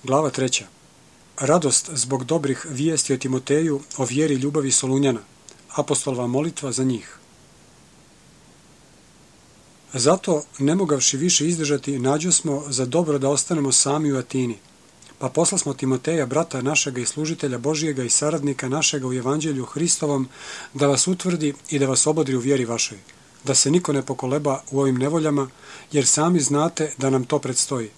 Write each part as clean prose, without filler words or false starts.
Glava 3. Radost zbog dobrih vijesti o Timoteju, o vjeri i ljubavi Solunjana. Apostolova molitva za njih. Zato, ne mogavši više izdržati, nađosmo za dobro da ostanemo sami u Atini. Pa poslasmo Timoteja, brata našega i služitelja Božijega i saradnika našega u Evanđelju Hristovom, da vas utvrdi i da vas obodri u vjeri vašoj, da se niko ne pokoleba u ovim nevoljama, jer sami znate da nam to predstoji.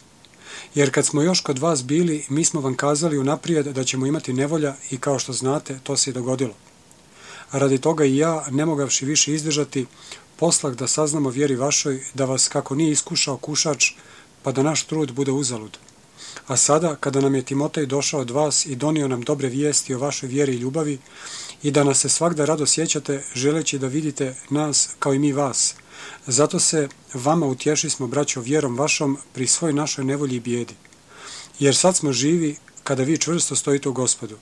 Jer kad smo još kod vas bili, mi smo vam kazali unaprijed da ćemo imati nevolja i kao što znate, to se i dogodilo. A radi toga i ja, ne mogavši više izdržati, poslah da saznamo vjeri vašoj, da vas kako nije iskušao kušač, pa da naš trud bude uzalud. A sada, kada nam je Timotej došao od vas i donio nam dobre vijesti o vašoj vjeri i ljubavi, i da nas se svagda rado sjećate, želeći da vidite nas kao i mi vas, zato se vama utješismo, braćo, vjerom vašom pri svoj našoj nevolji i bijedi. Jer sad smo živi kada vi čvrsto stojite u Gospodu.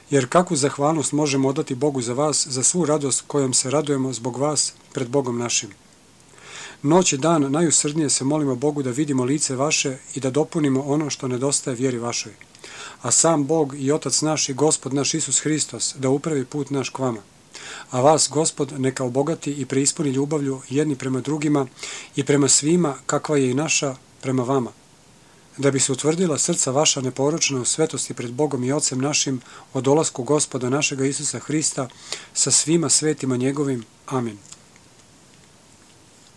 Jer kakvu zahvalnost možemo odati Bogu za vas, za svu radost kojom se radujemo zbog vas pred Bogom našim. Noć i dan najusrdnije se molimo Bogu da vidimo lice vaše i da dopunimo ono što nedostaje vjeri vašoj. A sam Bog i Otac naš i Gospod naš Isus Hristos da upravi put naš k vama. A vas, Gospod, neka obogati i preispuni ljubavlju jedni prema drugima i prema svima kakva je i naša prema vama. Da bi se utvrdila srca vaša neporočna u svetosti pred Bogom i Ocem našim o dolasku Gospoda našega Isusa Hrista sa svima svetima njegovim. Amin.